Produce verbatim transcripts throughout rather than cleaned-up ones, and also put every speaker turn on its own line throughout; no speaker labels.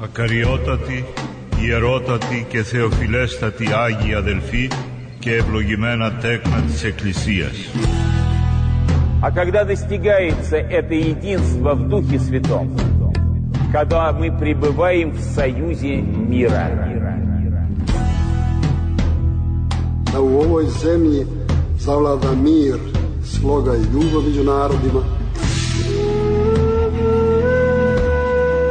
Ακαριότατοι, ιερότατοι και θεοφιλέστατοι Άγιοι αδελφοί και ευλογημένα τέκνα της Εκκλησίας.
А когда достигается это единство в Духе Святом, когда мы пребываем в союзе мира.
Da u ovoj zemlji zavlada mir, sloga i ljubav među narodima.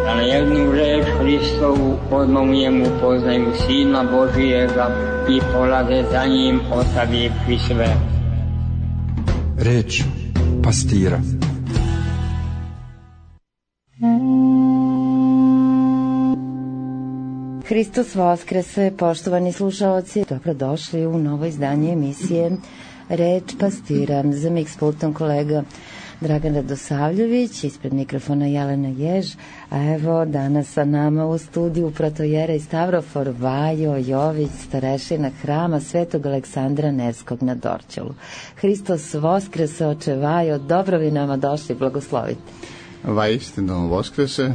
Da na jednu reč Hristovu odmah u njemu poznaju Sina Božijega i polaze za njim ostavivši sve.
Reč pastira.
Hristos Vaskrese, poštovani slušaoci, dobrodošli u novo izdanje emisije Reč pastira. Za mikspultom kolega Dragan Radosavljević, ispred mikrofona Jelena Jež, a evo danas sa nama u studiju protojera i Stavrofor Vajo Jović, starešina hrama Svetog Aleksandra Nevskog na Dorćolu. Hristos Vaskrese, oče Vajo, dobro vi nama došli, blagoslovite.
Vaistinu Vaskrese,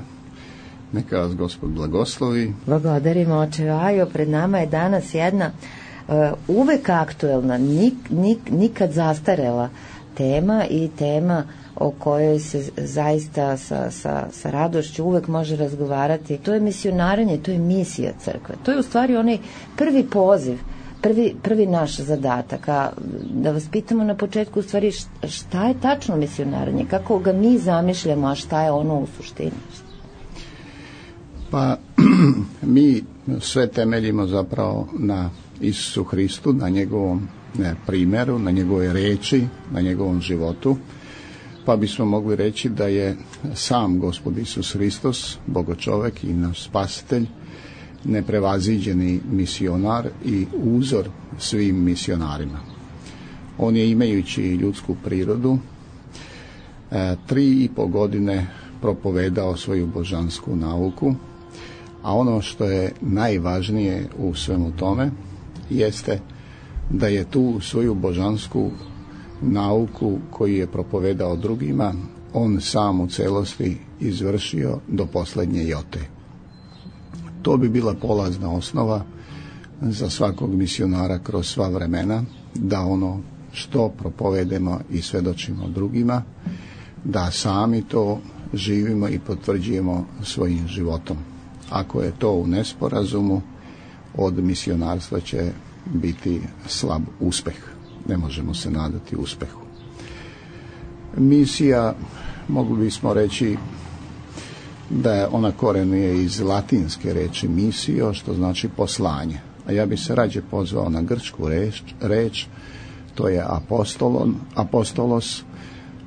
neka vas Gospod blagoslovi.
Благодарimo, oče Vajo, pred nama je danas jedna uh, uvek aktuelna, nik, nik, nikad zastarela tema i tema o kojoj se zaista sa, sa, sa radošću uvek može razgovarati. To je misionaranje, to je misija crkve. To je u stvari onaj prvi poziv, prvi, prvi naš zadatak. A da vas pitamo na početku u stvari šta je tačno misionaranje, kako ga mi zamišljamo, a šta je ono u suštini?
Pa mi sve temeljimo zapravo na Isusu Hristu, na njegovom ne, primjeru, na njegovoj reči, na njegovom životu. Pa bismo mogli reći da je sam Gospod Isus Hristos, Bogočovek i naš spasitelj, neprevaziđeni misionar i uzor svim misionarima. On je, imajući ljudsku prirodu, e, tri i po godine propovedao svoju božansku nauku, a ono što je najvažnije u svemu tome jeste da je tu svoju božansku nauku koju je propovedao drugima, on sam u celosti izvršio do posljednje jote. To bi bila polazna osnova za svakog misionara kroz sva vremena, da ono što propovedemo i svedočimo drugima, da sami to živimo i potvrđujemo svojim životom. Ako je to u nesporazumu, od misionarstva će biti slab uspeh. Ne možemo se nadati uspehu. Misija, mogli bismo reći da je ona korenuje iz latinske reči misio, što znači poslanje. A ja bi se rađe pozvao na grčku reč, reč to je apostolon, apostolos,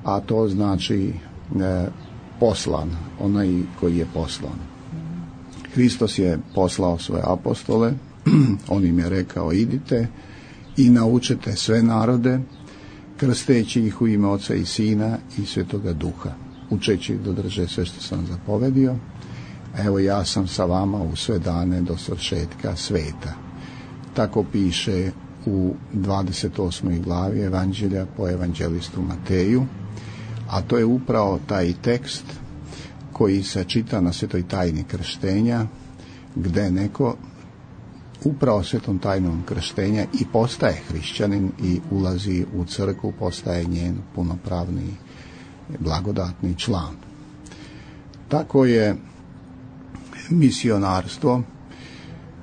a to znači e, poslan, onaj koji je poslan. Hristos je poslao svoje apostole, on im je rekao idite i naučite sve narode, krsteći ih u ime Oca i Sina i Svetoga Duha, učeći ih da drže sve što sam zapovedio. Evo ja sam sa vama u sve dane do svršetka sveta. Tako piše u dvadeset osmoj glavi Evanđelja po evanđelistu Mateju, a to je upravo taj tekst koji se čita na svetoj tajni krštenja, gde neko upravo svetom tajnom krštenja i postaje hrišćanin i ulazi u crkvu, postaje njen punopravni blagodatni član. Tako je misionarstvo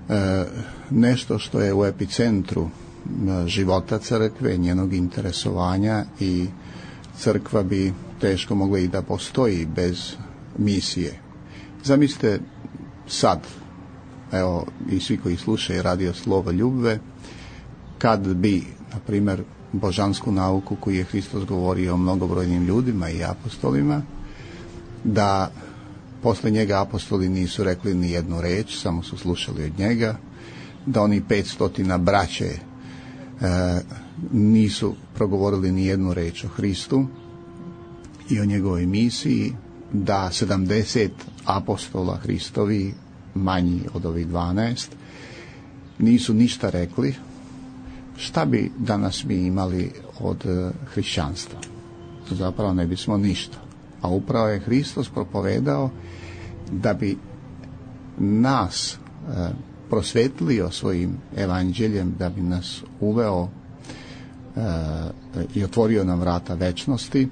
e, nešto što je u epicentru života crkve, njenog interesovanja, i crkva bi teško mogla i da postoji bez misije. Zamislite sad, evo i svi koji slušaju radio Slovo Ljubve, kad bi, na primjer, božansku nauku koju je Hristos govorio o mnogobrojnim ljudima i apostolima, da posle njega apostoli nisu rekli ni jednu reč, samo su slušali od njega, da oni petstotina braće e, nisu progovorili ni jednu reč o Hristu i o njegovoj misiji, da sedamdeset apostola Hristovi, manji od ovih dvanaest, nisu ništa rekli, šta bi danas mi imali od hrišćanstva? Zapravo ne bismo ništa. A upravo je Hristos propovedao da bi nas e, prosvetlio svojim evanđeljem, da bi nas uveo e, i otvorio nam vrata večnosti,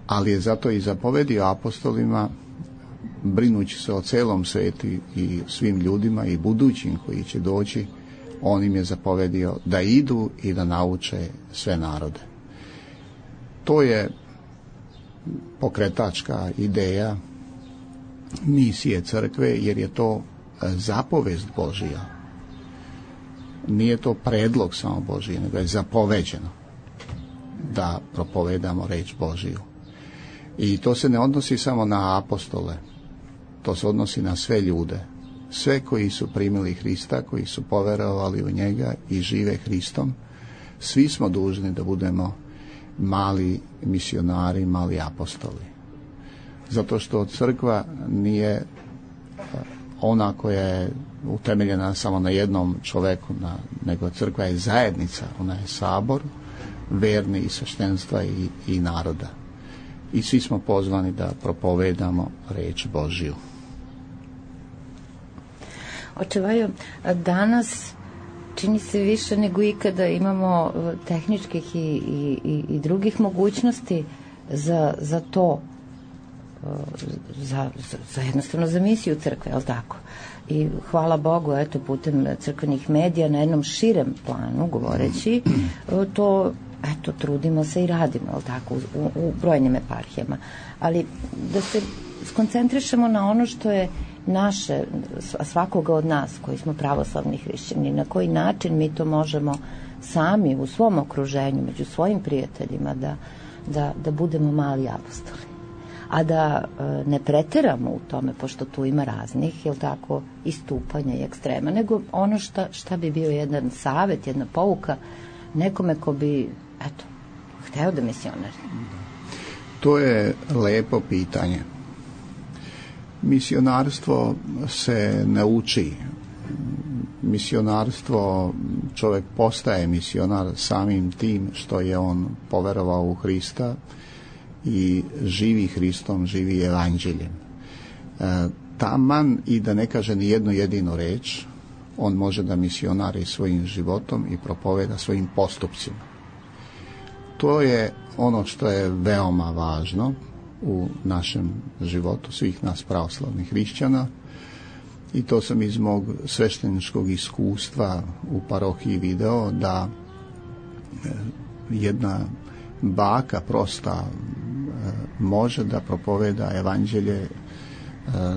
ali je zato i zapovedio apostolima, brinući se o celom svetu i svim ljudima i budućim koji će doći, on im je zapovedio da idu i da nauče sve narode. To je pokretačka ideja misije crkve, jer je to zapovest Božija. Nije to predlog samo Božiji, nego je zapoveđeno da propovedamo reč Božiju. I to se ne odnosi samo na apostole, to se odnosi na sve ljude. Sve koji su primili Hrista, koji su poverovali u njega i žive Hristom, svi smo dužni da budemo mali misionari, mali apostoli. Zato što crkva nije ona koja je utemeljena samo na jednom čoveku, na, nego crkva je zajednica, ona je sabor verni i sveštenstva i, i naroda. I svi smo pozvani da propovedamo reč Božiju.
Oče Vajo, danas čini se više nego ikada imamo tehničkih i, i, i drugih mogućnosti za, za to, za, za, za jednostavno za misiju crkve, jel tako? I hvala Bogu, eto, putem crkvenih medija na jednom širem planu govoreći, to, eto, trudimo se i radimo, jel tako, u, u brojnim eparhijama. Ali da se skoncentrišemo na ono što je naše, svakoga od nas koji smo pravoslavni hrišćani, na koji način mi to možemo sami u svom okruženju, među svojim prijateljima da, da, da budemo mali apostoli. A da e, ne preteramo u tome, pošto tu ima raznih, jel tako, istupanja i ekstrema, nego ono šta, šta bi bio jedan savet, jedna pouka nekome ko bi, eto, hteo da misionari.
To je lepo pitanje. Misionarstvo se ne uči. Misionarstvo, čovjek postaje misionar samim tim što je on poverovao u Hrista i živi Hristom, živi evanđeljem. E, taman i da ne kaže ni jednu jedinu reč, on može da misionari svojim životom i propoveda svojim postupcima. To je ono što je veoma važno u našem životu svih nas pravoslavnih hrišćana, i to sam iz mog svešteničkog iskustva u parohiji video, da jedna baka prosta može da propoveda evanđelje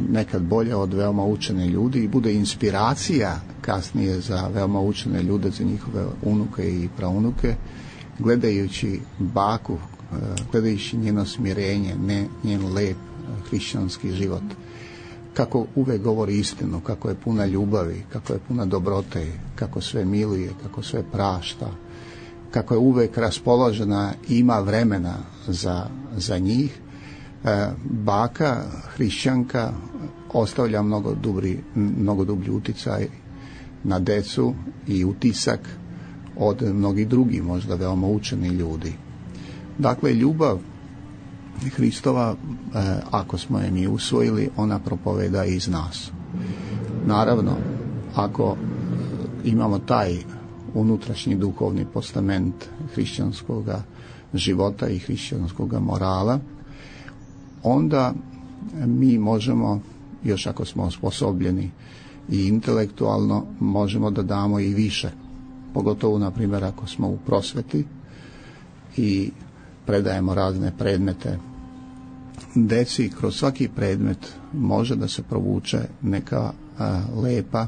nekad bolje od veoma učene ljudi i bude inspiracija kasnije za veoma učene ljude, za njihove unuke i praunuke, gledajući baku, gledajući njeno smirenje, ne njen lep hrišćanski život, kako uvek govori istinu, kako je puna ljubavi, kako je puna dobrote, kako sve miluje, kako sve prašta, kako je uvek raspoložena i ima vremena za, za njih. E, baka, hrišćanka, ostavlja mnogo, dubri, mnogo dublji uticaj na decu i utisak od mnogih drugih, možda veoma učeni ljudi. Dakle, ljubav Hristova, e, ako smo je mi usvojili, ona propoveda iz nas. Naravno, ako imamo taj unutrašnji duhovni postament hrišćanskog života i hrišćanskog morala, onda mi možemo, još ako smo osposobljeni i intelektualno, možemo da damo i više. Pogotovo, na primjer, ako smo u prosveti i predajemo razne predmete deci, kroz svaki predmet može da se provuče neka a, lepa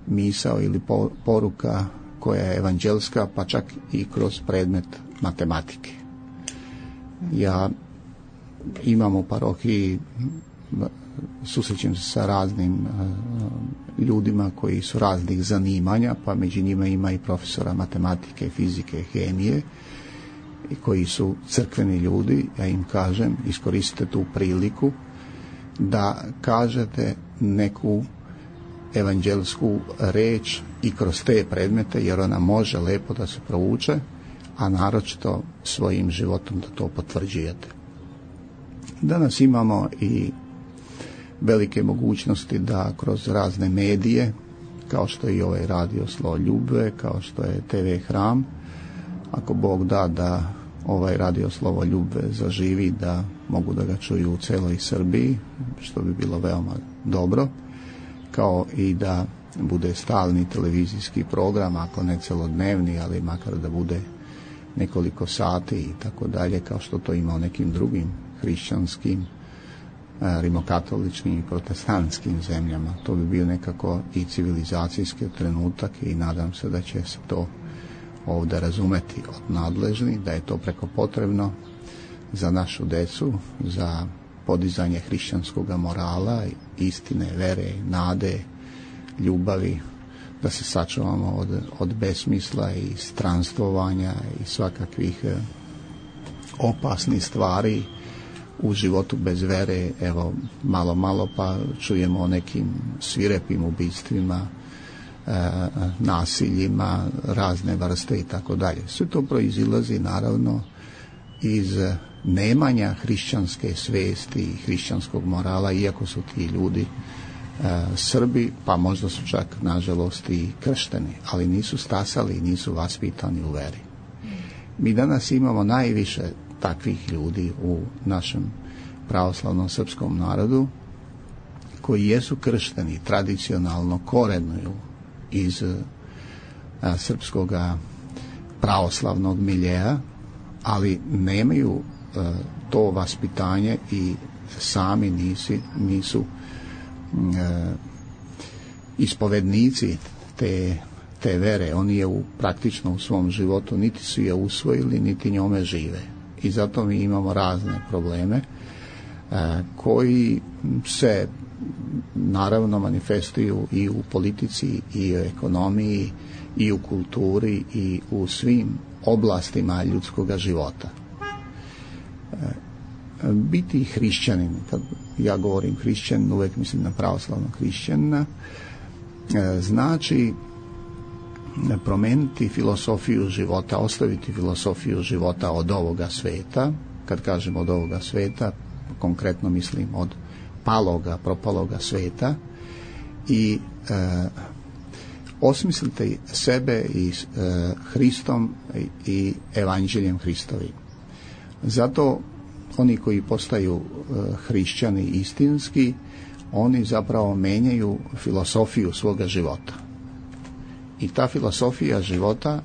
misao ili po, poruka koja je evanđelska, pa čak i kroz predmet matematike. Ja imam u parohiji, susrećem se sa raznim a, ljudima koji su raznih zanimanja, pa među njima ima i profesora matematike, fizike, hemije, i koji su crkveni ljudi. Ja im kažem, iskoristite tu priliku da kažete neku evanđelsku reč i kroz te predmete, jer ona može lepo da se provuče, a naročito svojim životom da to potvrđujete. Danas imamo i velike mogućnosti da kroz razne medije, kao što je i ovaj radio Slovo Ljubve, kao što je te ve Hram, ako Bog da da ovaj radio Slovo Ljubve zaživi, da mogu da ga čuju u celoj Srbiji, što bi bilo veoma dobro, kao i da bude stalni televizijski program, ako ne celodnevni, ali makar da bude nekoliko sati i tako dalje, kao što to ima u nekim drugim hrišćanskim, rimokatoličkim i protestantskim zemljama. To bi bio nekako i civilizacijski trenutak i nadam se da će se to ovdje razumeti od nadležnih, da je to preko potrebno za našu decu, za podizanje hrišćanskog morala, istine, vere, nade, ljubavi, da se sačuvamo od, od besmisla i stranstvovanja i svakakvih opasnih stvari u životu bez vere. Evo, malo, malo pa čujemo o nekim svirepim ubistvima, e, nasiljima, razne vrste i tako dalje. Sve to proizilazi naravno iz nemanja hrišćanske svesti i hrišćanskog morala, iako su ti ljudi e, Srbi, pa možda su čak nažalost i kršteni, ali nisu stasali i nisu vaspitani u veri. Mi danas imamo najviše takvih ljudi u našem pravoslavnom srpskom narodu koji jesu kršteni, tradicionalno korenuju iz a, srpskoga pravoslavnog miljeja, ali nemaju a, to vaspitanje i sami nisi, nisu a, ispovednici te, te vere. Oni je u, praktično u svom životu niti su je usvojili, niti njome žive. I zato mi imamo razne probleme a, koji se naravno manifestuju i u politici, i u ekonomiji, i u kulturi, i u svim oblastima ljudskog života. A, biti hrišćanin, kad ja govorim hrišćanin, uvijek mislim na pravoslavnog hrišćanina, a, znači promeniti filosofiju života, ostaviti filosofiju života od ovoga sveta. Kad kažem od ovoga sveta, konkretno mislim od paloga, propaloga sveta, i e, osmislite sebe i e, Hristom i, i evanđeljem Hristovim. Zato oni koji postaju e, hrišćani istinski, oni zapravo menjaju filosofiju svoga života. I ta filosofija života,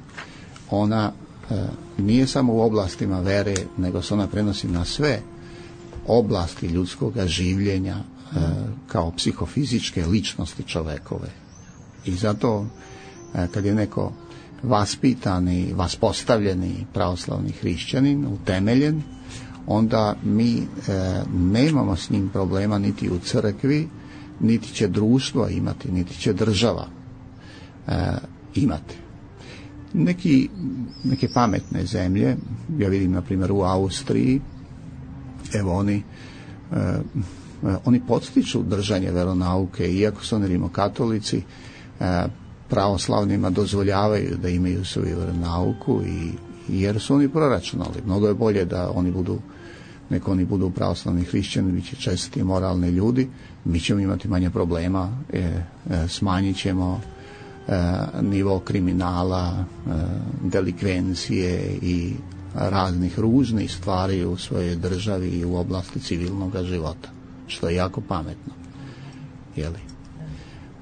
ona e, nije samo u oblastima vere, nego se ona prenosi na sve oblasti ljudskog življenja, e, kao psihofizičke ličnosti čovekove. I zato e, kad je neko vaspitani, vaspostavljeni pravoslavni hrišćanin, utemeljen, onda mi e, nemamo s njim problema niti u crkvi, niti će društvo imati, niti će država E, imati. Neki, neke pametne zemlje, ja vidim na primjer u Austriji, evo oni e, oni podstiču držanje veronauke, iako su oni rimokatolici, e, pravoslavnima dozvoljavaju da imaju svoju veronauku, i, jer su oni proračunali. Mnogo je bolje da oni budu, neko oni budu pravoslavni hrišćani, bit će česti i moralni ljudi, mi ćemo imati manje problema, e, e, smanjit ćemo nivo kriminala, delikvencije i raznih ružnih stvari u svojoj državi i u oblasti civilnog života, što je jako pametno. Jeli?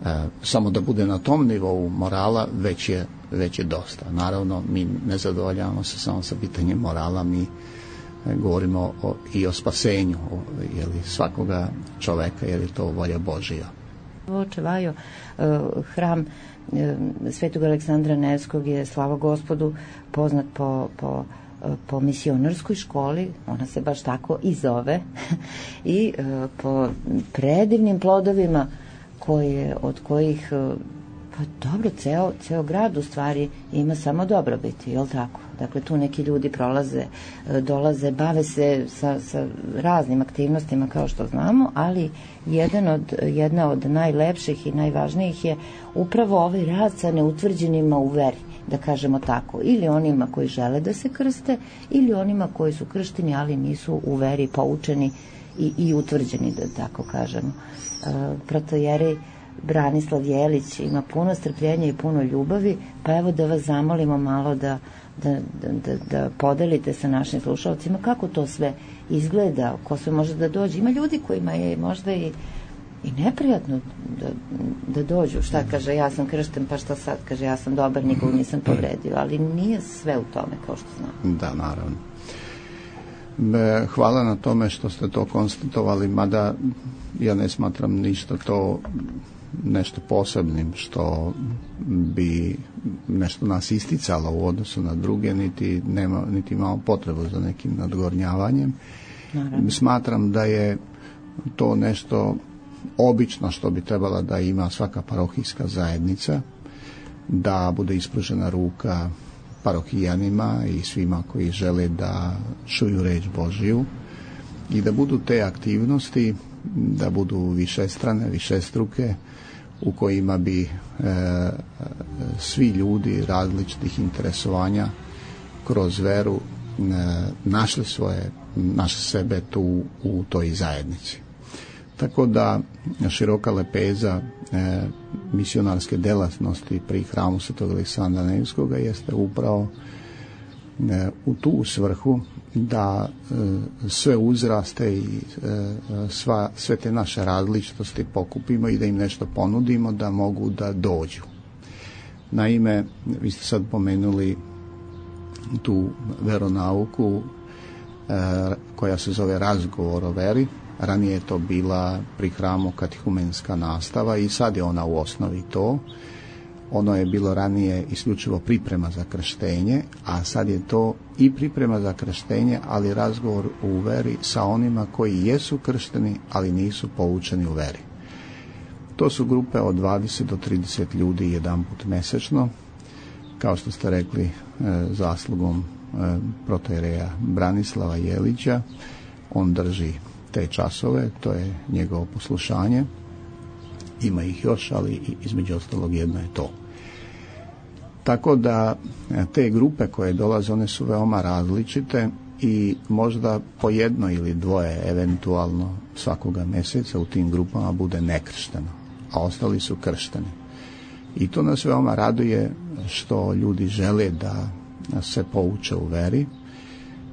E, samo da bude na tom nivou morala već je, već je dosta. Naravno, mi ne zadovoljavamo se samo sa pitanjem morala, mi govorimo o, i o spasenju, o, jeli, svakoga čoveka, jer je to volja Božija.
Očevajo, hram Svetog Aleksandra Nevskog je, slava Gospodu, poznat po, po, po misionarskoj školi, ona se baš tako i zove, i po predivnim plodovima koje, od kojih, pa dobro, ceo, ceo grad u stvari ima samo dobrobiti, je li tako? Dakle, tu neki ljudi prolaze, dolaze, bave se sa, sa raznim aktivnostima, kao što znamo, ali jedan od, jedna od najlepših i najvažnijih je upravo ovaj rad sa neutvrđenima u veri, da kažemo tako, ili onima koji žele da se krste, ili onima koji su kršteni, ali nisu u veri poučeni i, i utvrđeni, da tako kažemo. Protojerej Branislav Jelić ima puno strpljenja i puno ljubavi, pa evo da vas zamolimo malo da, da, da, da podelite sa našim slušalcima kako to sve izgleda, ko sve može da dođe. Ima ljudi kojima je možda i, i neprijatno da, da dođu. Šta kaže, ja sam kršten, pa šta sad? Kaže, ja sam dobar, nikog nisam povredio, ali nije sve u tome, kao što znam.
Da, naravno. Hvala na tome što ste to konstatovali, mada ja ne smatram ništa to nešto posebnim što bi nešto nas isticalo u odnosu na druge, niti nema, niti imamo potrebu za nekim nadgornjavanjem. Naravno. Smatram da je to nešto obično što bi trebala da ima svaka parohijska zajednica, da bude ispružena ruka parohijanima i svima koji žele da čuju reč Božiju i da budu te aktivnosti, da budu višestrane, višestruke, u kojima bi e, svi ljudi različitih interesovanja kroz veru e, našli svoje, našli sebe tu u toj zajednici. Tako da široka lepeza e, misionarske delatnosti pri hramu Svetog Aleksandra Nevskoga jeste upravo e, u tu svrhu da e, sve uzraste i e, sva, sve te naše različitosti pokupimo i da im nešto ponudimo da mogu da dođu. Naime, vi ste sad pomenuli tu veronauku e, koja se zove razgovor o veri. Ranije je to bila pri hramu katehumenska nastava i sad je ona u osnovi to. Ono je bilo ranije isključivo priprema za krštenje, a sad je to i priprema za krštenje, ali razgovor u veri sa onima koji jesu kršteni, ali nisu poučeni u veri. To su grupe od dvadeset do trideset ljudi jedanput mesečno, kao što ste rekli, zaslugom protojereja Branislava Jelića. On drži te časove, to je njegovo poslušanje. Ima ih još, ali između ostalog jedno je to. Tako da te grupe koje dolaze, one su veoma različite i možda po jedno ili dvoje eventualno svakoga mjeseca u tim grupama bude nekršteno, a ostali su kršteni. I to nas veoma raduje što ljudi žele da se pouče u veri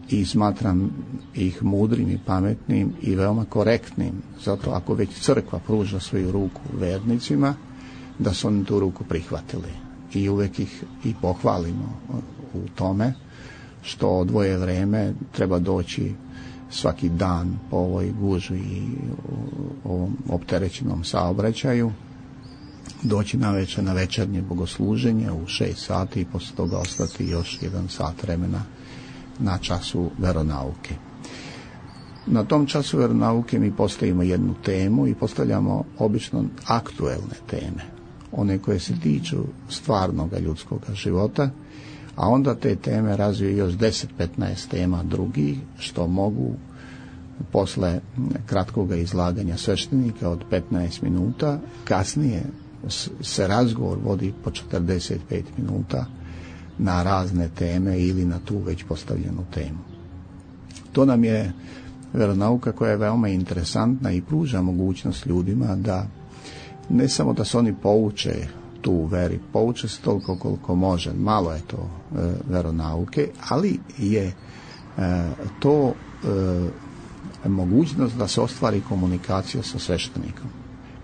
i smatram ih mudrim i pametnim i veoma korektnim. Zato ako već crkva pruža svoju ruku vernicima, da su oni tu ruku prihvatili. I uvek ih i pohvalimo u tome što odvoje vreme, treba doći svaki dan po ovoj gužvi i ovom opterećenom saobraćaju, doći na večer na večernje bogosluženje u šest sati i posle toga ostati još jedan sat vremena na času veronauke. Na tom času veronauke mi postavimo jednu temu i postavljamo obično aktuelne teme, one koje se tiču stvarnog ljudskog života, a onda te teme razviju još deset do petnaest tema drugih, što mogu posle kratkog izlaganja sveštenika od petnaest minuta, kasnije se razgovor vodi po četrdeset pet minuta na razne teme ili na tu već postavljenu temu. To nam je veronauka koja je veoma interesantna i pruža mogućnost ljudima da ne samo da se oni pouče tu u veri, pouče se toliko koliko može, malo je to e, veronauke, ali je e, to e, mogućnost da se ostvari komunikacija sa sveštenikom.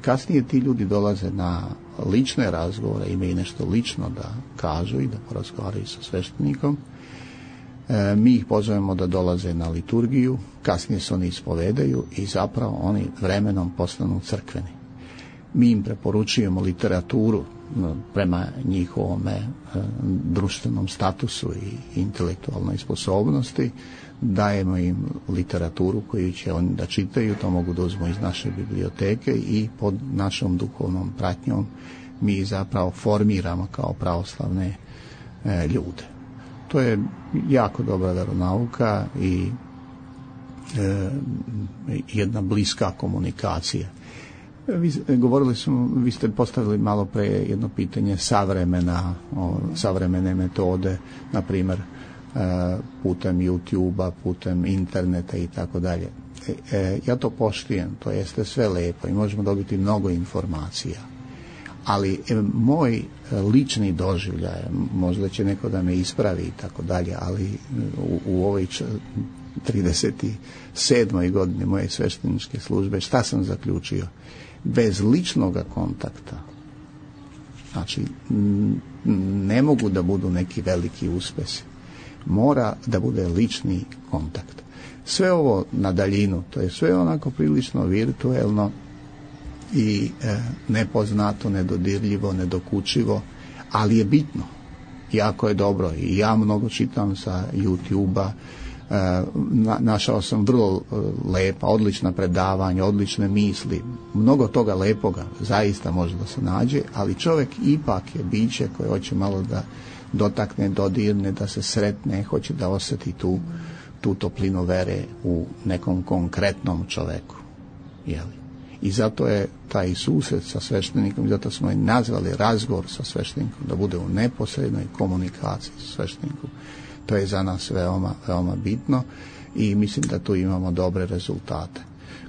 Kasnije ti ljudi dolaze na lične razgovore, imaju nešto lično da kažu i da porazgovaraju sa sveštenikom. E, mi ih pozovemo da dolaze na liturgiju, kasnije se oni ispovedaju i zapravo oni vremenom postanu crkveni. Mi im preporučujemo literaturu prema njihovom e, društvenom statusu i intelektualnoj sposobnosti, dajemo im literaturu koju će oni da čitaju, to mogu da uzmu iz naše biblioteke i pod našom duhovnom pratnjom mi zapravo formiramo kao pravoslavne e, ljude. To je jako dobra veronauka i e, jedna bliska komunikacija. Vi, govorili smo, vi ste postavili malo pre jedno pitanje savremena, o, savremene metode, na primjer putem YouTube-a, putem interneta i tako dalje. Ja to poštujem, to jeste sve lepo i možemo dobiti mnogo informacija. Ali moj lični doživljaj, možda će neko da me ispravi i tako dalje, ali u, u ovoj trideset sedmoj godini moje svešteničke službe, šta sam zaključio? Bez ličnog kontakta, znači ne mogu da budu neki veliki uspesi. Mora da bude lični kontakt. Sve ovo na daljinu, to je sve onako prilično virtuelno i e, nepoznato, nedodirljivo, nedokučivo, ali je bitno. Jako je dobro i ja mnogo čitam sa YouTube-a, e, na, našao sam vrlo lepa, odlična predavanja, odlične misli, mnogo toga lepoga zaista može da se nađe, ali čovjek ipak je biće koje hoće malo da dotakne, dodirne, da se sretne, hoće da osjeti tu, tu toplinu vere u nekom konkretnom čovjeku. Jeli? I zato je taj susret sa sveštenikom, zato smo i nazvali razgovor sa sveštenikom, da bude u neposrednoj komunikaciji sa sveštenikom. To je za nas veoma, veoma bitno i mislim da tu imamo dobre rezultate.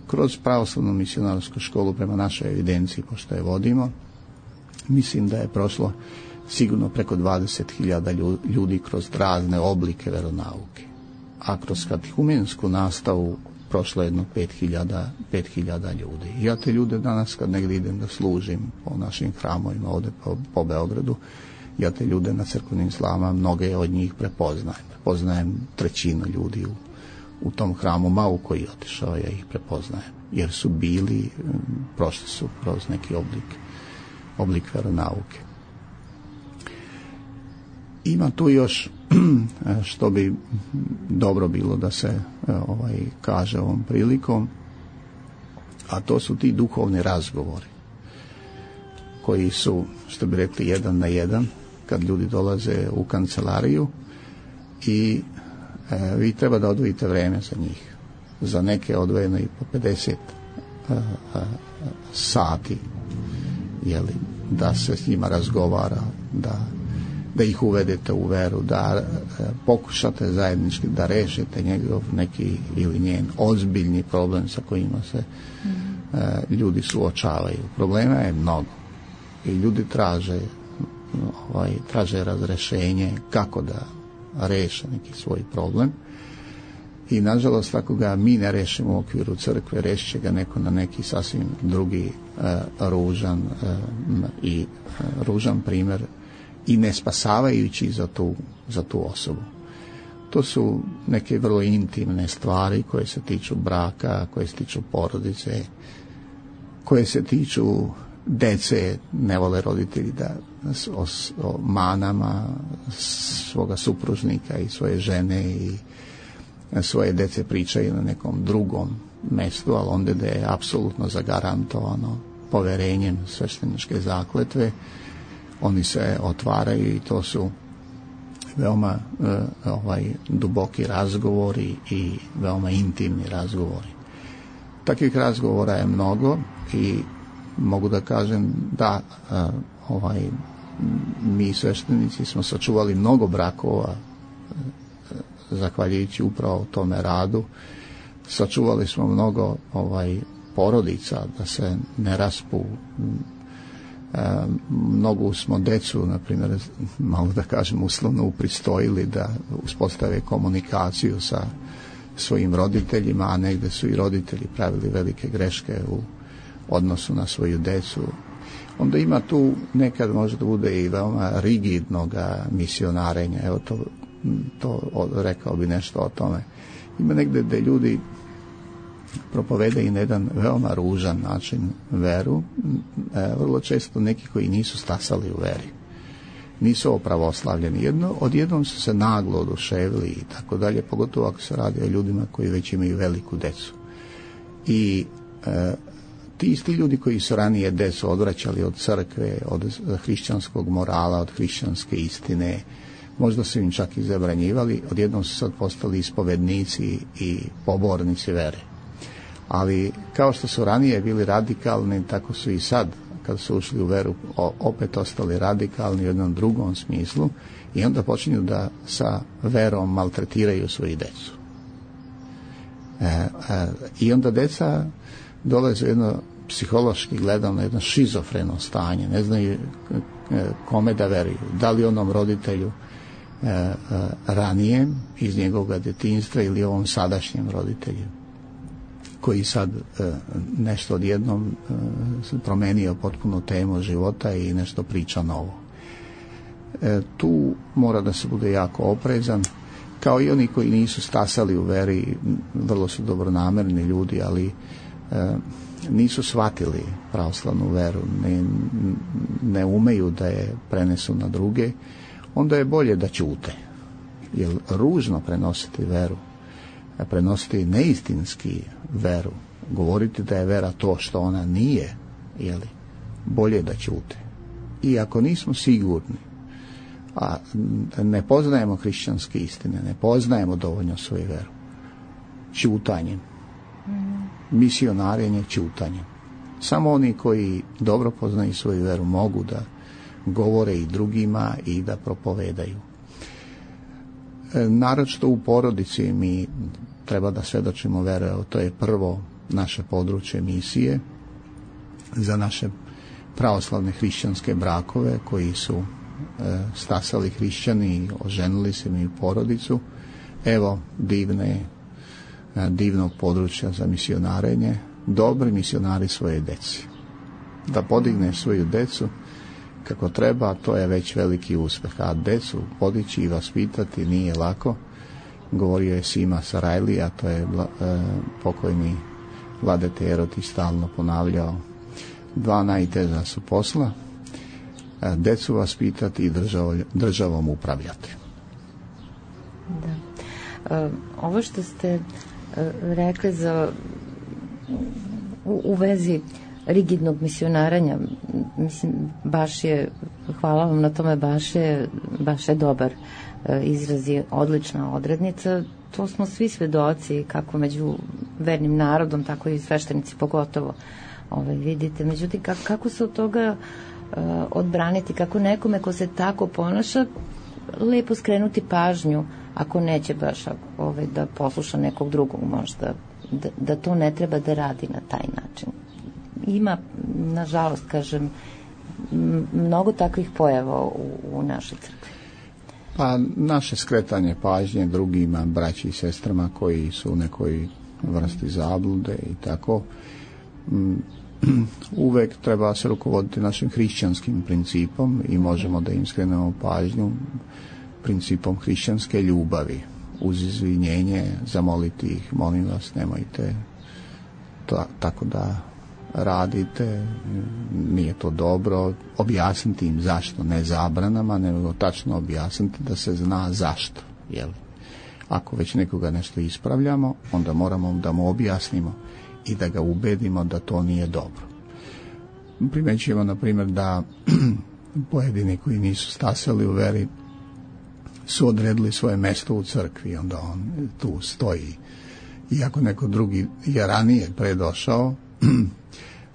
Kroz pravoslavnu misionarsku školu, prema našoj evidenciji, pošto je vodimo, mislim da je prošlo sigurno preko dvadeset hiljada ljudi kroz razne oblike veronauke. A kroz katehumensku nastavu prošlo jedno pet hiljada ljudi. Ja te ljude danas kad negdje idem da služim po našim hramovima ovdje po, po Beogradu, ja te ljude na crkvenim slavama, mnoge od njih prepoznajem. Prepoznajem trećinu ljudi u, u tom hramu, malo koji je otišao, ja ih prepoznajem. Jer su bili, prošli su kroz neki oblik, oblik veronauke. Ima tu još što bi dobro bilo da se ovaj kaže ovom prilikom, a to su ti duhovni razgovori koji su, što bi rekli, jedan na jedan kad ljudi dolaze u kancelariju i e, vi treba da odvojite vreme za njih. Za neke odvojeno i po pedeset a, a, sati, jeli, da se s njima razgovara, da da ih uvedete u veru, da e, pokušate zajednički da rešite njegov neki ili njen ozbiljni problem sa kojima se mm. e, ljudi suočavaju. Problema je mnogo i ljudi traže ovaj, traže razrešenje kako da reše neki svoj problem i nažalost ako ga mi ne rešimo u okviru crkve, rešit će ga neko na neki sasvim drugi e, ružan e, i e, ružan primjer i ne spasavajući za tu, za tu osobu. To su neke vrlo intimne stvari koje se tiču braka, koje se tiču porodice, koje se tiču dece, ne vole roditelji da o, o manama svoga supružnika i svoje žene i svoje dece pričaju na nekom drugom mestu, ali onda da je apsolutno zagarantovano poverenjem svešteničke zakletve, oni se otvaraju i to su veoma e, ovaj, duboki razgovori i veoma intimni razgovori. Takvih razgovora je mnogo i mogu da kažem da e, ovaj, mi sveštenici smo sačuvali mnogo brakova e, zahvaljujući upravo tome radu. Sačuvali smo mnogo ovaj, porodica da se ne raspu. E, mnogo smo decu, na primjer, malo da kažem uslovno upristojili da uspostave komunikaciju sa svojim roditeljima, a negde su i roditelji pravili velike greške u odnosu na svoju decu. Onda ima tu nekad možda bude i veoma rigidnog misionarenja, evo to, to rekao bi nešto o tome. Ima negde gde ljudi propovede i na jedan veoma ružan način veru, e, vrlo često neki koji nisu stasali u veri, nisu opravoslavljeni, jedno, odjednom su se naglo oduševili i tako dalje, pogotovo ako se radi o ljudima koji već imaju veliku decu. I e, ti isti ljudi koji su ranije decu odvraćali od crkve, od hrišćanskog morala, od hrišćanske istine, možda su im čak i zabranjivali, odjednom su sad postali ispovednici i pobornici vere. Ali kao što su ranije bili radikalni, tako su i sad kad su ušli u veru opet ostali radikalni u jednom drugom smislu i onda počinju da sa verom maltretiraju svoju decu. E, e, I onda deca dolaze u jedno psihološki gledano jedno šizofreno stanje, ne znaju kome da veruju, da li onom roditelju e, e, ranijem iz njegovog djetinjstva ili ovom sadašnjem roditelju koji sad e, nešto odjednom e, promenio potpuno temu života i nešto priča novo. E, tu mora da se bude jako oprezan, kao i oni koji nisu stasali u veri, vrlo su dobronamerni ljudi, ali e, nisu shvatili pravoslavnu veru, ne, ne umeju da je prenesu na druge, onda je bolje da ćute. Jer ružno prenositi veru, prenositi neistinski veru, govoriti da je vera to što ona nije, jeli, bolje da ćute. I ako nismo sigurni, a ne poznajemo hrišćanske istine, ne poznajemo dovoljno svoju veru, ćutanjem, misionarenje ćutanjem. Samo oni koji dobro poznaju svoju veru mogu da govore i drugima i da propovedaju. E, naročito u porodici mi treba da svedočimo vere, to je prvo naše područje misije za naše pravoslavne hrišćanske brakove koji su e, stasali hrišćani i oženili se mi u porodicu. Evo divne divnog područja za misionarenje, dobri misionari svoje deci. Da podigne svoju decu kako treba, to je već veliki uspeh. A decu podići i vaspitati nije lako. Govorio je Sima Sarajli, a to je e, pokojni Vladete Eroti stalno ponavljao. Dva najteža su posla, e, decu vaspitati i držav, državom upravljati.
Da. E, ovo što ste rekli za u, u vezi rigidnog misionaranja, mislim, baš je, hvala vam na tome, baš je, baš je dobar izraz i odlična odrednica. To smo svi svedoci, kako među vernim narodom, tako i sveštenici pogotovo, ovaj, vidite. Međutim, kako, kako se od toga uh, odbraniti, kako nekome ko se tako ponaša, lepo skrenuti pažnju, ako neće baš ovaj, da posluša nekog drugog možda, da, da to ne treba da radi na taj način. Ima, nažalost, kažem, mnogo takvih pojava u, u našoj crkvi.
Pa naše skretanje pažnje drugima, braći i sestrama koji su u nekoj vrsti zablude i tako, uvek treba se rukovoditi našim hrišćanskim principom i možemo da im skrenemo pažnju principom hrišćanske ljubavi, uz izvinjenje zamoliti ih, molim vas, nemojte ta, tako da radite, nije to dobro, objasniti im zašto, ne zabranama, nego tačno objasniti da se zna zašto. Jel? Ako već nekoga nešto ispravljamo, onda moramo da mu objasnimo i da ga ubedimo da to nije dobro. Primećujemo, na primjer, da pojedini koji nisu stasali u veri su odredili svoje mesto u crkvi, onda on tu stoji. Iako neko drugi je ranije predošao,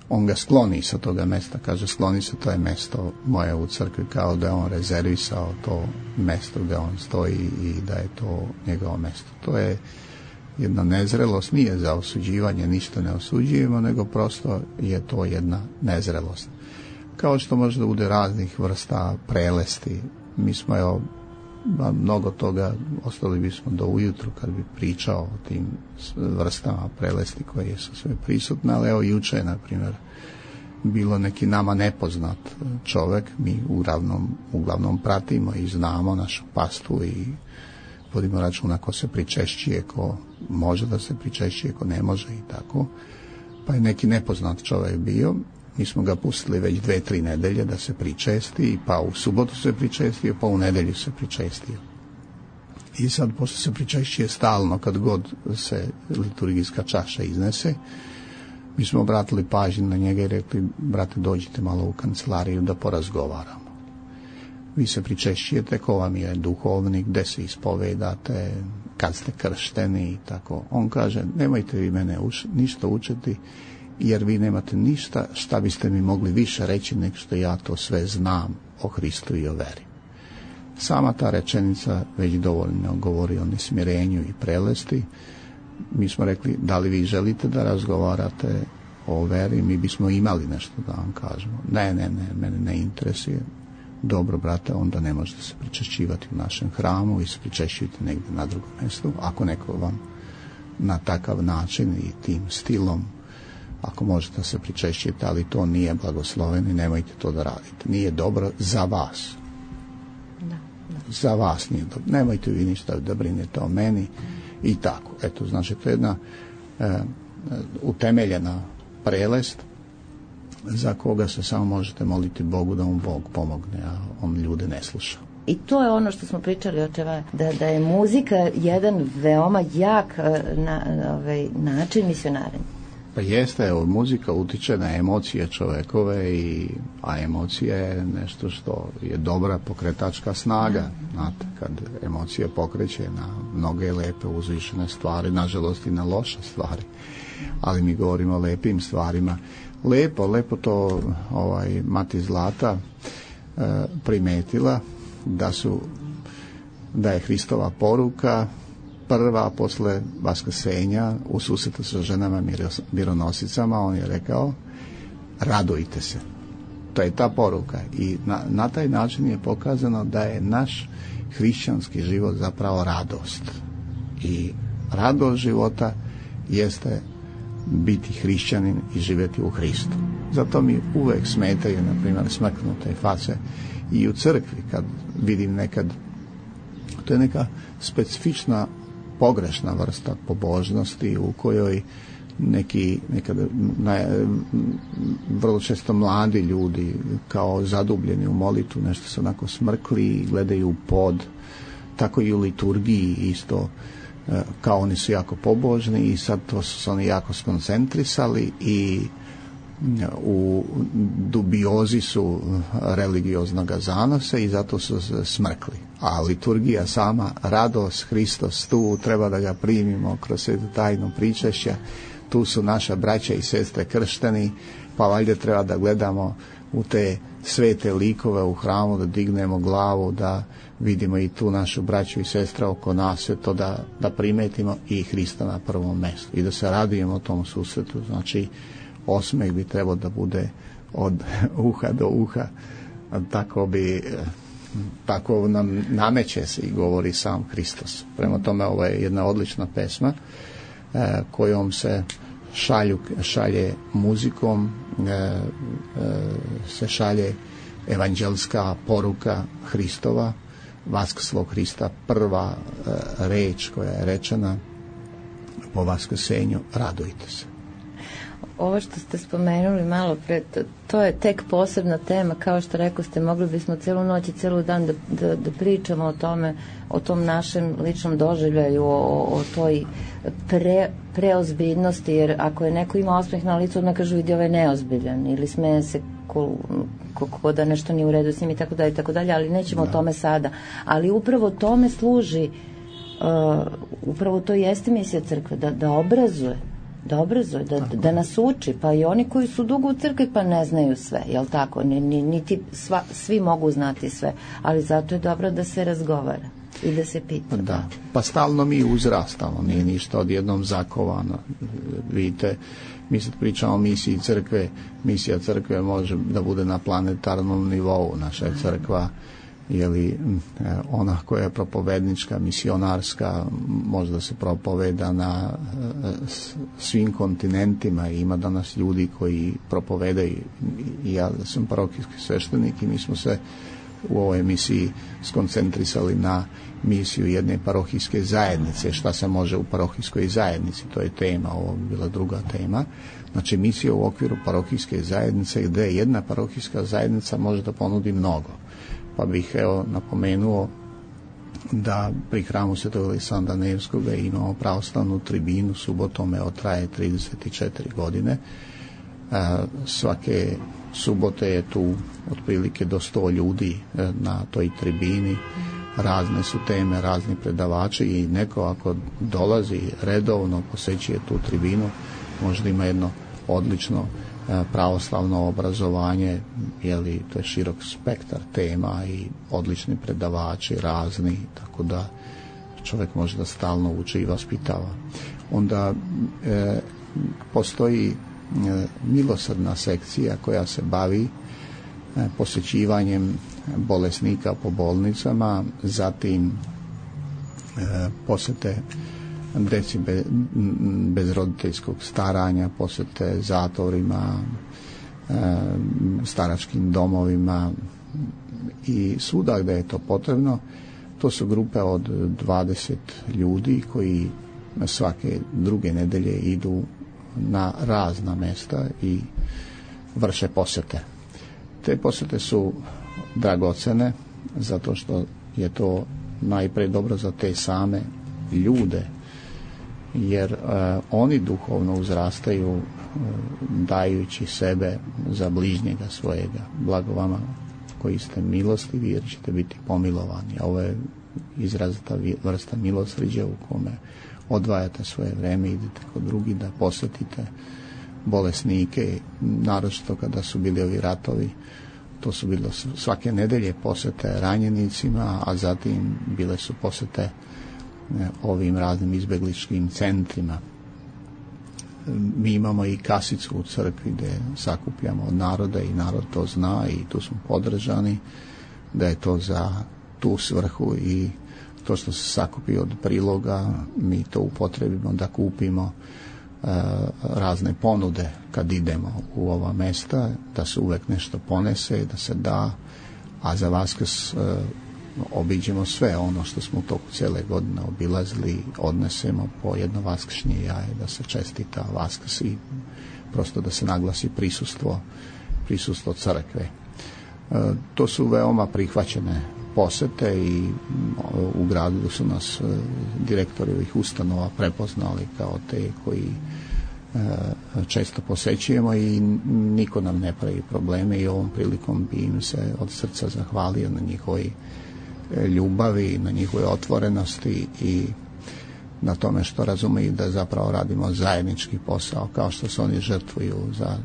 on ga skloni sa toga mesta, kaže skloni se, to je mesto moje u crkvi, kao da je on rezervisao to mesto gde on stoji i da je to njegovo mesto. To je jedna nezrelost, nije za osuđivanje, ništa ne osuđujemo, nego prosto je to jedna nezrelost. Kao što može da bude raznih vrsta prelesti. Mi smo, evo, mnogo toga, ostali bismo do ujutru kad bi pričao o tim vrstama prelesti koje su sve prisutne, ali evo juče je, na primjer, bilo neki nama nepoznat čovek, mi uglavnom, uglavnom pratimo i znamo našu pastu i vodimo računa ko se pričešćuje, ko može da se pričešćuje, ko ne može i tako. Pa je neki nepoznat čovek bio, mi smo ga pustili već dve, tri nedelje da se pričesti, pa u subotu se pričestio, pa u nedelju se pričestio. I sad, pošto se pričešćuje stalno, kad god se liturgijska čaša iznese, mi smo obratili pažnju na njega i rekli, brate, dođite malo u kancelariju da porazgovaramo. Vi se pričešćujete, ko vam je duhovnik, gde se ispovedate, kad ste kršteni i tako. On kaže, nemojte vi mene uš, ništa učiti, jer vi nemate ništa šta biste mi mogli više reći nego što ja to sve znam o Hristu i o veri. Sama ta rečenica već dovoljno govori o nesmirenju i prelesti. Mi smo rekli, da li vi želite da razgovarate o veri, mi bismo imali nešto da vam kažemo. Ne, ne, ne, mene ne interesuje. Dobro, brate, onda ne možete se pričešćivati u našem hramu, vi se pričešćujete negdje na drugom mjestu. Ako neko vam na takav način i tim stilom, ako možete se pričešćiti, ali to nije blagosloveno i nemojte to da radite. Nije dobro za vas.
Da, da.
Za vas nije dobro. Nemojte vi ništa da brinete o meni i tako. Eto, znači, to je jedna e, utemeljena prelest za koga se samo možete moliti Bogu da mu Bog pomogne, a on ljude ne sluša.
I to je ono što smo pričali, očeva, da, da je muzika jedan veoma jak na, ovaj, način misionarenja.
Pa jeste, evo, muzika utiče na emocije čovekove, i, a emocija je nešto što je dobra pokretačka snaga. Znate, kad emocija pokreće na mnoge lepe uzvišene stvari, nažalost i na loše stvari, ali mi govorimo o lepim stvarima. Lepo, lepo to ovaj, Mati Zlata e, primetila, da su da je Hristova poruka prva posle vaskrsenja u susretu sa ženama mironosicama. On je rekao, radujte se. To je ta poruka i na, na taj način je pokazano da je naš hrišćanski život zapravo radost, i radost života jeste biti hrišćanin i živjeti u Hristu. Zato mi uvek smetaju, na primjer, smrknute face i u crkvi, kad vidim nekad, to je neka specifična pogrešna vrsta pobožnosti u kojoj neki nekad na, vrlo često mladi ljudi kao zadubljeni u molitvu nešto se onako smrkli i gledaju u pod, tako i u liturgiji isto, kao oni su jako pobožni i sad to su se oni jako skoncentrisali i u dubiozi su religioznog zanosa i zato su se smrkli. A liturgija sama, radost, Hristos, tu treba da ga primimo kroz svetu tajnu pričešća, tu su naša braća i sestre kršteni, pa valjda treba da gledamo u te svete likove u hramu, da dignemo glavu, da vidimo i tu našu braću i sestre oko nas, sve to da, da primetimo i Hrista na prvom mjestu i da se radujemo tom susretu. Znači, osmeh bi trebao da bude od uha do uha, tako bi, tako nam nameće se i govori sam Hristos. Prema tome, ovo je jedna odlična pesma eh, kojom se šalju, šalje muzikom, eh, eh, se šalje evanđelska poruka Hristova, vaskrslog Hrista, prva eh, reč koja je rečena po vaskrsenju, radujte se.
Ovo što ste spomenuli malo pre, to, to je tek posebna tema, kao što rekao ste, mogli bismo celu noć i celu dan da, da, da pričamo o tome, o tom našem ličnom doživljaju, o, o toj pre, preozbiljnosti, jer ako je neko ima osmeh na licu, odmah kažu, vidi, ovaj neozbiljan, ili smeje se ko, ko, ko da nešto nije u redu s njim i tako dalje, tako dalje, ali nećemo da. o tome sada. Ali upravo tome služi, uh, upravo to jeste misija crkve, da, da obrazuje, da obrazuje, da, da nas uči, pa i oni koji su dugo u crkvi pa ne znaju sve, jel tako? Niti sva, svi mogu znati sve, ali zato je dobro da se razgovara i da se pita.
Da, pa stalno mi uzrastamo, nije ništa odjednom zakovano. Vidite, mi sad pričamo o misiji crkve, misija crkve može da bude na planetarnom nivou. Naša je crkva, je li ona koja je propovednička, misionarska, možda se propoveda na svim kontinentima i ima danas ljudi koji propovedaju. I ja sam parohijski sveštenik i mi smo se u ovoj emisiji skoncentrisali na misiju jedne parohijske zajednice, šta se može u parohijskoj zajednici, to je tema, ovo bi bila druga tema. Znači misija u okviru parohijske zajednice gdje jedna parohijska zajednica može da ponudi mnogo. Pa bih evo napomenuo da pri hramu Svetog Aleksandra Nevskoga imamo pravoslavnu tribinu, subotom evo traje trideset četiri godine. A, svake subote je tu otprilike do sto ljudi na toj tribini, razne su teme, razni predavači i neko ako dolazi redovno, posećuje tu tribinu, možda ima jedno odlično pravoslavno obrazovanje, jeli, to je širok spektar tema i odlični predavači razni, tako da čovjek može da stalno uči i vaspitava. Onda e, postoji e, milosrdna sekcija koja se bavi e, posjećivanjem bolesnika po bolnicama, zatim e, posjete deci bez, bez roditeljskog staranja, posjete zatvorima, e, staračkim domovima i svuda gdje je to potrebno. To su grupe od dvadeset ljudi koji svake druge nedelje idu na razna mjesta i vrše posjete. Te posjete su dragocene zato što je to najprije dobro za te same ljude, jer uh, oni duhovno uzrastaju uh, dajući sebe za bližnjega svojega. Blago vama koji ste milostivi jer ćete biti pomilovani. A ovo je izrazita vrsta milosrđa u kome odvajate svoje vreme, idete kod drugi da posjetite bolesnike, naročito kada su bili ovi ratovi. To su bilo svake nedelje posjete ranjenicima, a zatim bile su posjete ovim raznim izbegličkim centrima. Mi imamo i kasicu u crkvi gdje sakupljamo od naroda i narod to zna i tu smo podržani da je to za tu svrhu i to što se sakupi od priloga mi to upotrebimo da kupimo e, razne ponude kad idemo u ova mesta, da se uvek nešto ponese, da se da, a za Vaskrs e, obiđemo sve ono što smo u toku cijele godine obilazili, odnesemo po jedno vaskršnje jaje da se čestita Vaskrs i prosto da se naglasi prisustvo, prisustvo crkve. E, to su veoma prihvaćene posete i u gradu su nas direktori ovih ustanova prepoznali kao te koji e, često posećujemo i niko nam ne pravi probleme i ovom prilikom bi im se od srca zahvalio na njihovoj ljubavi, na njihove otvorenosti i na tome što razumiju da zapravo radimo zajednički posao, kao što se oni žrtvuju za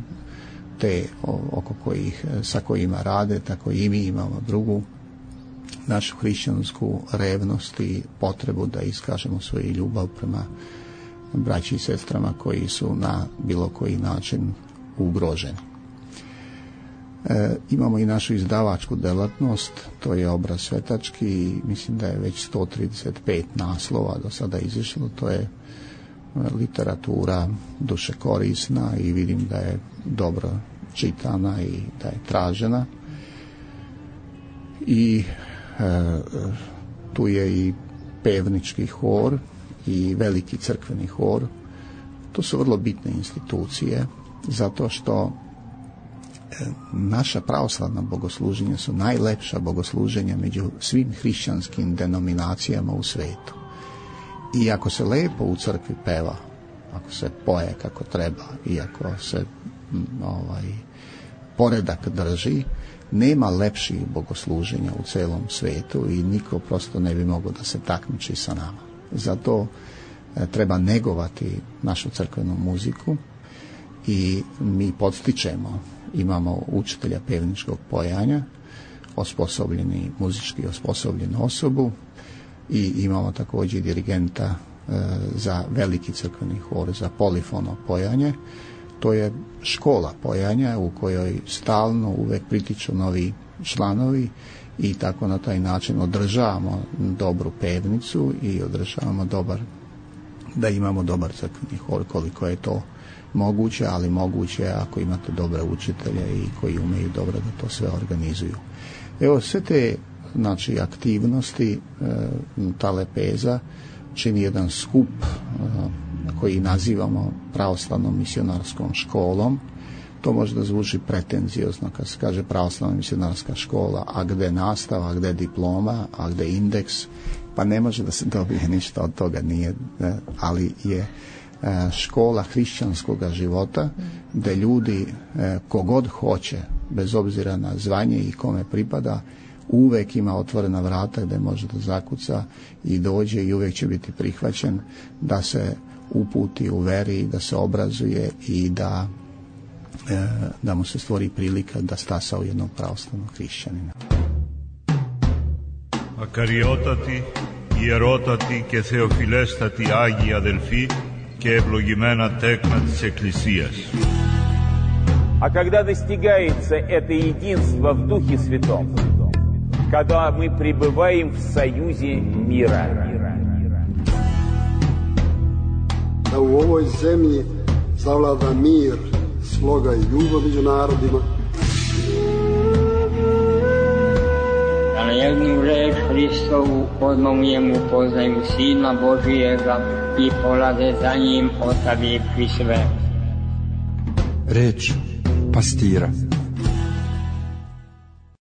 te oko kojih, sa kojima rade, tako i mi imamo drugu našu hrišćansku revnost i potrebu da iskažemo svoju ljubav prema braći i sestrama koji su na bilo koji način ugroženi. E, imamo i našu izdavačku delatnost, to je Obraz svetački, mislim da je već sto trideset pet naslova do sada izišlo, to je literatura duše korisna i vidim da je dobro čitana i da je tražena. I e, tu je i pevnički hor i veliki crkveni hor. To su vrlo bitne institucije zato što naša pravoslavna bogosluženja su najlepša bogosluženja među svim hrišćanskim denominacijama u svetu. I ako se lepo u crkvi peva, ako se poje kako treba i ako se ovaj, poredak drži, nema lepših bogosluženja u celom svetu i niko prosto ne bi mogao da se takmiči sa nama. Zato e, treba negovati našu crkvenu muziku i mi podstičemo, imamo učitelja pevničkog pojanja, osposobljeni, muzički osposobljenu osobu i imamo također dirigenta e, za veliki crkveni hor, za polifono pojanje. To je škola pojanja u kojoj stalno uvek pritiču novi članovi i tako na taj način održavamo dobru pevnicu i održavamo dobar, da imamo dobar crkveni hor koliko je to moguće, ali moguće je ako imate dobre učitelje i koji umeju dobro da to sve organizuju. Evo sve te znači aktivnosti e, ta lepeza čini jedan skup e, koji nazivamo pravoslavnom misionarskom školom. To možda zvuči pretenziozno kad se kaže pravoslavna misionarska škola, a gde nastava, a gde diploma, a gde indeks, pa ne može da se dobije ništa od toga, nije, ali je škola hrišćanskog života gde ljudi kogod hoće, bez obzira na zvanje i kome pripada, uvek ima otvorena vrata gde može da zakuca i dođe i uvek će biti prihvaćen da se uputi u veri, da se obrazuje i da da mu se stvori prilika da stasa u jednog pravoslavnog hrišćanina.
Ακαριότατοι, ιερότατοι και θεοφιλέστατοι Άγιοι αδελφοί και ευλογημένα τέκνα της Εκκλησίας.
А когда достигается это единство в Духе Святом, когда мы пребываем в союзе мира.
Da u ovoj zemlji zavlada mir, sloga i ljubav među narodima.
Da na jednu reč Hristovu odmah u njemu poznaju Sina Božijega i polaze za njim otavi pri sve.
Reč pastira.